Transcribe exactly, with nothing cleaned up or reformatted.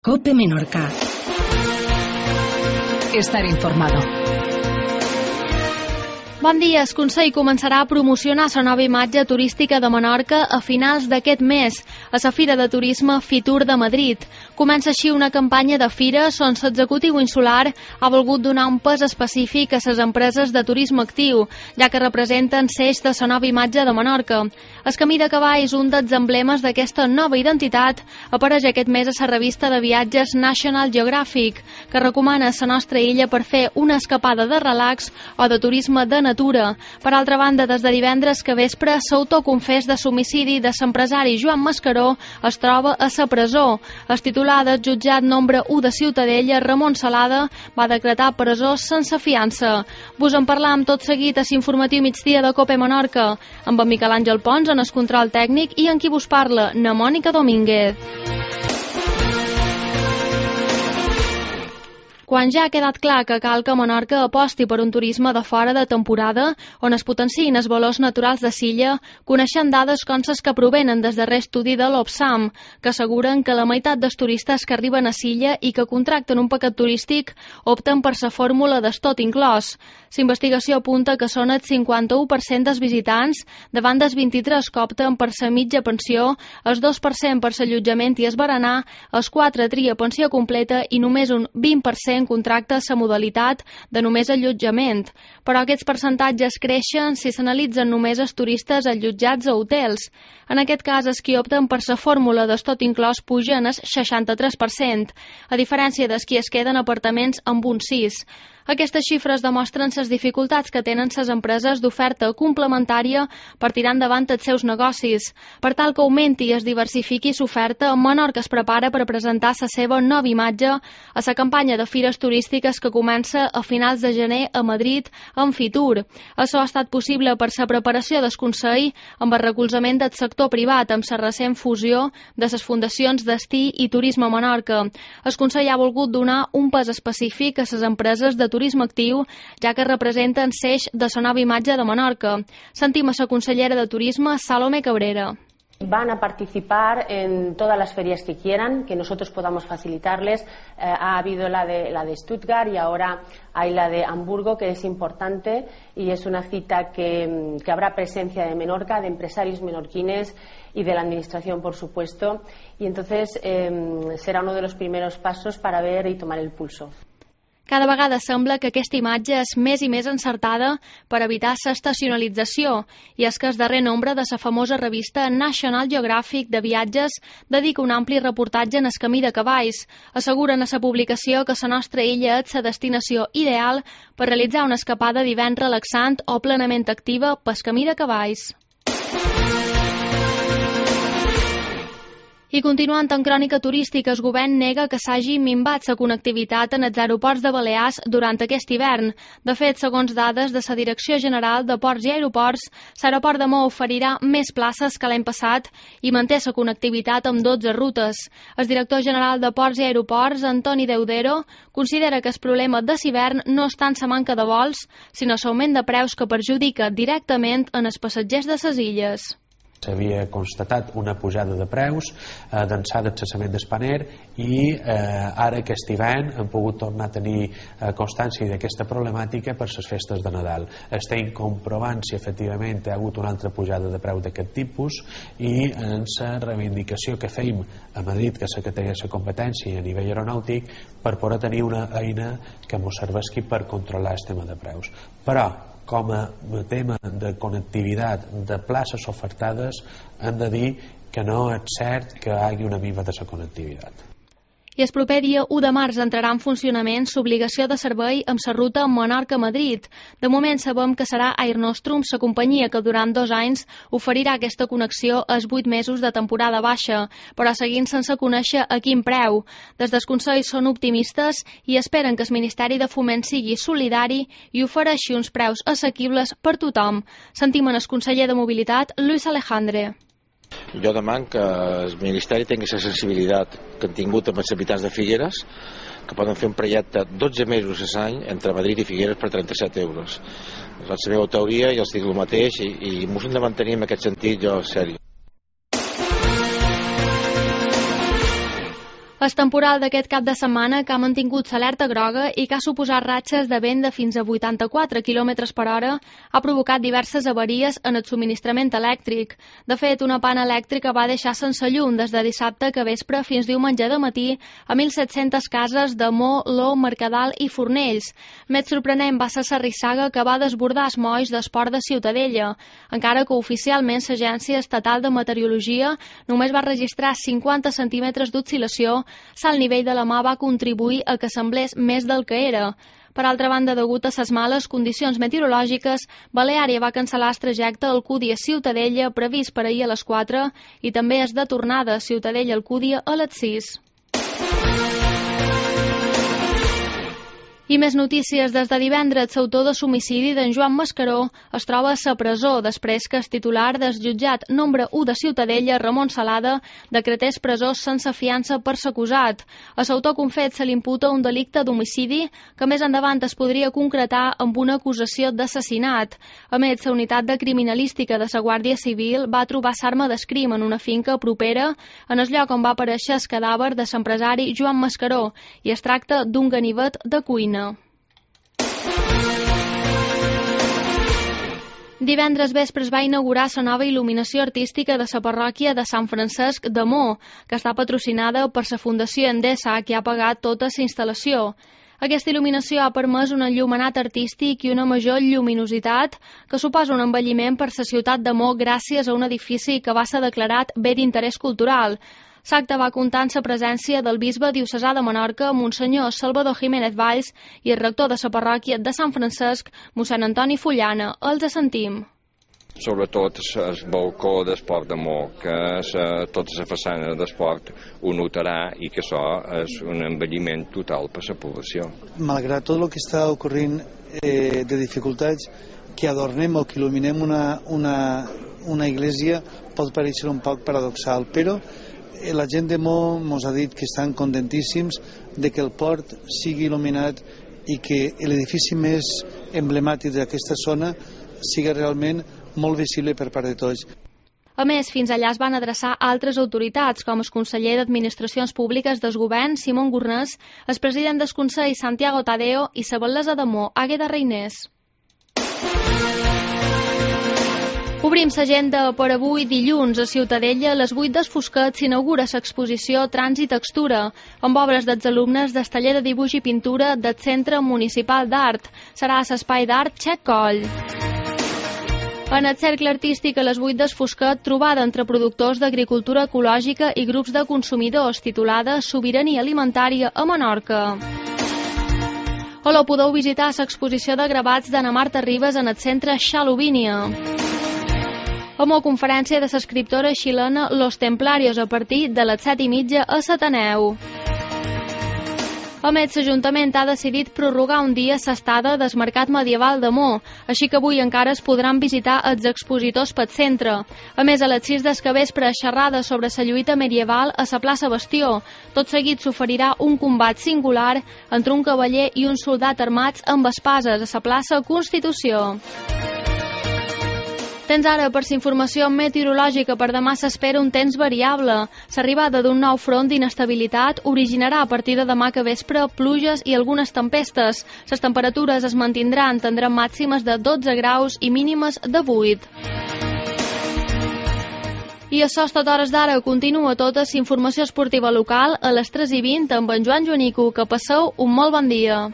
COPE Menorca. Estar informado. Bon dia. El Consell començarà a promocionar la nova imatge turística de Menorca a finals d'aquest mes, a la Fira de Turisme Fitur de Madrid. Comença així una campanya de fires on l'executiu insular ha volgut donar un pes específic a les empreses de turisme actiu, ja que representen l'eix de la nova imatge de Menorca. El camí de cavalls, un dels emblemes d'aquesta nova identitat, apareix aquest mes a la revista de viatges National Geographic, que recomana la nostra illa per fer una escapada de relax o de turisme de natura. Per altra banda, des de divendres que vespre, l'autoconfés de l'homicidi de l'empresari Joan Mascaró es troba a la presó. El titular del jutjat nombre u de Ciutadella, Ramon Salada, va decretar presó sense fiança. Vos en parlam tot seguit a l'informatiu migdia de COPE Menorca, amb en Miquel Àngel Pons en el control tècnic i en qui vos parla, na Mònica Domínguez. Quan ja ha quedat clar que cal que Menorca aposti per un turisme de fora de temporada, on es potenciïn els valors naturals de l'illa, coneixen dades com les que provenen des darrer estudi de l'Opsam, que asseguren que la meitat dels turistes que arriben a l'illa i que contracten un paquet turístic opten per la fórmula des tot inclòs. L'investigació apunta que són el cinquanta-u per cent dels visitants, davant dels vint-i-tres que opten per la mitja pensió, el dos per cent per l'allotjament i el berenar, el quatre tria pensió completa i només un vint per cent contracta la modalitat de només allotjament. Però aquests percentatges creixen si s'analitzen només els turistes allotjats a hotels. En aquest cas, els qui opten per la fórmula des tot inclòs pugen el seixanta-tres per cent, a diferència dels qui es queden apartaments amb un sis. Aquestes xifres demostren les dificultats que tenen les empreses d'oferta complementària per tirar endavant els seus negocis. Per tal que augmenti i es diversifiqui l'oferta, Menorca es prepara per presentar la seva nova imatge a la campanya de fires turístiques que comença a finals de gener a Madrid en Fitur. Això ha estat possible per la preparació del Consell amb el recolzament del sector privat amb la recent fusió de les fundacions Destí i Turisme a Menorca. El Consell ha volgut donar un pes específic a les empreses de turisme actiu, ja que representen l'eix de la nova imatge de Menorca. Sentim a la consellera de Turisme, Salomé Cabrera. Van a participar en todas las ferias que quieran, que nosotros podamos facilitarles. Eh, ha habido la de, la de Stuttgart y ahora hay la de Hamburgo, que es importante y es una cita que, que habrá presencia de Menorca, de empresarios menorquines y de la administración, por supuesto. Y entonces eh, será uno de los primeros pasos para ver y tomar el pulso. Cada vegada sembla que aquesta imatge és més i més encertada per evitar l'estacionalització, i és que el darrer nombre de la famosa revista National Geographic de viatges dedica un ampli reportatge en el camí de cavalls. Asseguren a la publicació que la nostra illa és la destinació ideal per realitzar una escapada d'hivern relaxant o plenament activa pel camí de cavalls. I continuant en crònica turística, el govern nega que s'hagi minvat la connectivitat en els aeroports de Balears durant aquest hivern. De fet, segons dades de la Direcció General de Ports i Aeroports, l'aeroport de Maó oferirà més places que l'any passat i manté la connectivitat amb dotze rutes. El director general de Ports i Aeroports, Antoni Deudero, considera que el problema de l'hivern no és tant la manca de vols, sinó l'augment de preus que perjudica directament en els passatgers de les illes. S'havia constatat una pujada de preus eh, d'ençà del cessament d'Spanair i eh, ara aquest hivern hem pogut tornar a tenir eh, constància d'aquesta problemàtica per les festes de Nadal. Estem comprovant si efectivament hi ha hagut una altra pujada de preu d'aquest tipus i en la reivindicació que feim a Madrid, que és la que té la competència a nivell aeronàutic, per poder tenir una eina que ens serveixi per controlar el tema de preus. Però com a tema de connectivitat de places ofertades, hem de dir que no és cert que hi hagi una minva de la connectivitat. I el proper dia u de març entrarà en funcionament l'obligació de servei amb la ruta Menorca-Madrid. De moment sabem que serà Air Nostrum, la companyia que durant dos anys oferirà aquesta connexió als vuit mesos de temporada baixa, però seguint sense conèixer a quin preu. Des del Consell són optimistes i esperen que el Ministeri de Foment sigui solidari i ofereixi uns preus assequibles per tothom. Sentim en el conseller de Mobilitat, Luis Alejandre. Jo deman que el Ministeri tingui la sensibilitat que han tingut amb els habitants de Figueres, que poden fer un projecte dotze mesos a l'any entre Madrid i Figueres per trenta-set euros. És la meva teoria i els dic el mateix i, i m'ho hem de mantenir en aquest sentit, jo, sèrio. El temporal d'aquest cap de setmana, que ha mantingut l'alerta groga i que ha suposat ratxes de vent de fins a vuitanta-quatre quilòmetres per hora, ha provocat diverses avaries en el subministrament elèctric. De fet, una pana elèctrica va deixar sense llum des de dissabte que vespre fins diumenge de matí a mil set-centes cases de Mo, Lo, Mercadal i Fornells. Més sorprenent va ser Sarrissaga, que va desbordar els molls d'Esport de Ciutadella, encara que oficialment l'Agència Estatal de Meteorologia només va registrar cinquanta centímetres d'oscil·lació. L'alt nivell de la mà va contribuir a que semblés més del que era. Per altra banda, degut a les males condicions meteorològiques, Baleària va cancel·lar el trajecte Alcúdia-Ciutadella previst per ahir a les quatre i també és de tornada Ciutadella-Alcúdia a les sis. I més notícies. Des de divendres, l'autor de l'homicidi d'en Joan Mascaró es troba a la presó després que el titular del jutjat nombre u de Ciutadella, Ramon Salada, decretés presó sense fiança per l'acusat. A l'autor confet se l'imputa un delicte d'homicidi que més endavant es podria concretar amb una acusació d'assassinat. A més, la unitat de criminalística de la Guàrdia Civil va trobar l'arma d'escrim en una finca propera en el lloc on va aparèixer el cadàver de l'empresari Joan Mascaró i es tracta d'un ganivet de cuina. Divendres vespre es va inaugurar la nova il·luminació artística de la parròquia de Sant Francesc de Mo, que està patrocinada per la Fundació Endesa, que ha pagat tota la instal·lació. Aquesta il·luminació ha permès un enllumenat artístic i una major lluminositat que suposa un envelliment per la ciutat de Mo gràcies a un edifici que va ser declarat bé d'interès cultural. L'acte va comptar amb la presència del bisbe diocesà de Menorca, Monsenyor Salvador Jiménez Valls, i el rector de la parròquia de Sant Francesc, mossèn Antoni Fullana. Els sentim. Sobretot el balcó d'esport de Mo, que sa, tota la façana d'esport ho notarà i que això és un envelliment total per la població. Malgrat tot el que està ocorrent eh, de dificultats, que adornem o que il·luminem una, una, una iglesia pot parèixer un poc paradoxal, però la gent de Mo ens ha dit que estan contentíssims de que el port sigui il·luminat i que l'edifici més emblemàtic d'aquesta zona sigui realment molt visible per part de tots. A més, fins allà es van adreçar altres autoritats, com el conseller d'Administracions Públiques del Govern, Simón Gurnés, el president del Consell, Santiago Tadeo, i la batllessa de Mo, Àgueda Reinés. Obrim l'agenda per avui dilluns. A Ciutadella, a les vuit del Fosquet, s'inaugura l'exposició Tràns i Textura, amb obres dels alumnes del taller de dibuix i pintura del Centre Municipal d'Art. Serà a l'espai d'art Xec Coll. En el cercle artístic, a les vuit del Fosquet, trobada entre productors d'agricultura ecològica i grups de consumidors, titulada Sobirania alimentària a Menorca. Hola, podeu visitar l'exposició de gravats d'Anna Marta Ribas en el centre Xalovínia. Amb una conferència de l'escriptora xilena Los Templarios a partir de les set i mitja a l'Ateneu. A més, l'Ajuntament ha decidit prorrogar un dia l'estada del Mercat Medieval de Mo, així que avui encara es podran visitar els expositors pel centre. A més, a les sis del capvespre, xerrada sobre la lluita medieval a la plaça Bastió. Tot seguit s'oferirà un combat singular entre un cavaller i un soldat armats amb espases a la plaça Constitució. Tens ara, per la informació meteorològica, per demà s'espera un temps variable. L'arribada d'un nou front d'inestabilitat originarà a partir de demà que vespre pluges i algunes tempestes. Les temperatures es mantindran, tindran màximes de dotze graus i mínimes de vuit. I això és tot a hores d'ara. Continua tota la informació esportiva local a les tres i vint amb en Joan Joanico. Que passeu un molt bon dia.